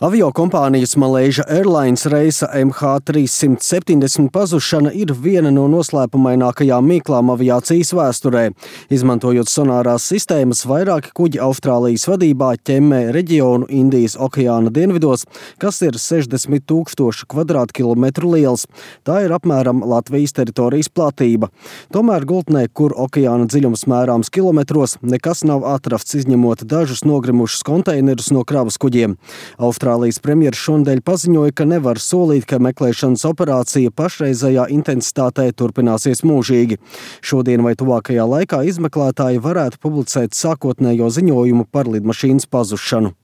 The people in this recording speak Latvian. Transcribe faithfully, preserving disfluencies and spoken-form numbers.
Aviokompānijas Malaysia Airlines reisa M H trīssimt septiņdesmit pazušana ir viena no noslēpumainākajām mīklām aviācijas vēsturē. Izmantojot sonārās sistēmas, vairāki kuģi Austrālijas vadībā ķemmē reģionu Indijas okeāna dienvidos, kas ir sešdesmit tūkstoši kvadrātkilometru liels. Tā ir apmēram Latvijas teritorijas platība. Tomēr gultnē, kur okeāna dziļums mērāms kilometros, nekas nav atrasts, izņemot dažus nogrimušus konteinerus no kravas kuģiem. Austrālijas premjers šonadēļ paziņoja, ka nevar solīt, ka meklēšanas operācija pašreizējā intensitātē turpināsies mūžīgi. Šodien vai tuvākajā laikā izmeklētāji varētu publicēt sākotnējo ziņojumu par lidmašīnas pazušanu.